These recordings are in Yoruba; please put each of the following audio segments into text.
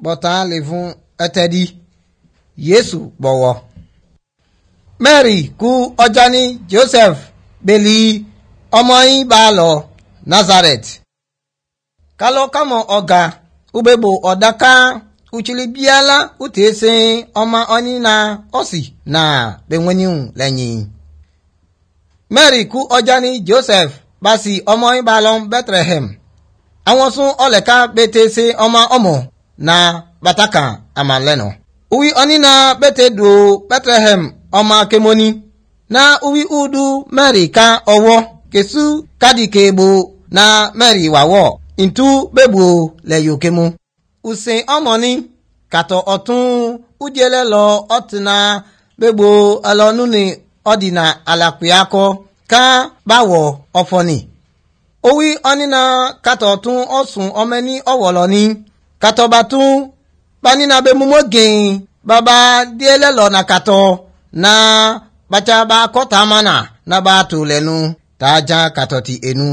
Bọ̀tán lè fún ẹtẹ́dí Yéésù bọ̀wọ̀. Mary kú ọjà ní Joseph bèlì ọmọ yín bá lọ Nazareth. Kálọ́ kámọ̀ ọ̀gá ubebo ọ̀dàká uchili biala utese ọmọ ọní na ọ̀sì na benweniun lẹ́yìn. Mary kú ọjà ní Joseph basi ọmọ yín bá lọ Bethlehem. Àwọn sún ọlẹ̀ká bẹ́tẹ̀ẹ́sẹ̀ ọmọ ọmọ na bàtàkà àmàlẹ́nà. Uwi ọní na bẹ́tẹ̀ do Bethlehem ọmọ akemoni. Na uwi udu Mary ká ọwọ́ kesu kádìkèbò na Mary wàwọ̀ ntú bẹ́bù lẹ́yọ̀kẹ́mu. Ùsìn ọmọ ní kàtọ̀ ọ̀tún udiele lọ ọ̀tìnà bẹ́bù ẹlọ́nù ní ọ̀dìnà àlàpìákọ ká báwọ̀ ọ̀fọ̀nì. Owi ọ̀nìnà kàtọ̀ ọ̀tún ọ̀sùn ọmọ ní ọ̀wọ̀lọ́ ní kàtọ̀ bàtún banina bẹ mumo gẹ̀ẹ́n bàbá díẹ̀lẹ̀ lọ na kàtọ̀ na bàtà bá kọ́ta mana na bá tó lẹ́nu tá a já kàtọ̀ ti enu.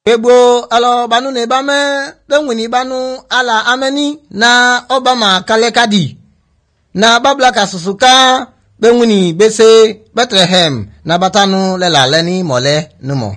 Gbogbo alọ banu ní bá mẹ́ bẹ́wìn ní banu ala amẹ́ni na ọba mà kálẹ̀ kádì na babla ka susu ká bẹ́wìn ní bẹ́sẹ̀ Bethlehem na bàtánu lẹ́la lẹ́ni mọ̀lẹ́ numọ̀.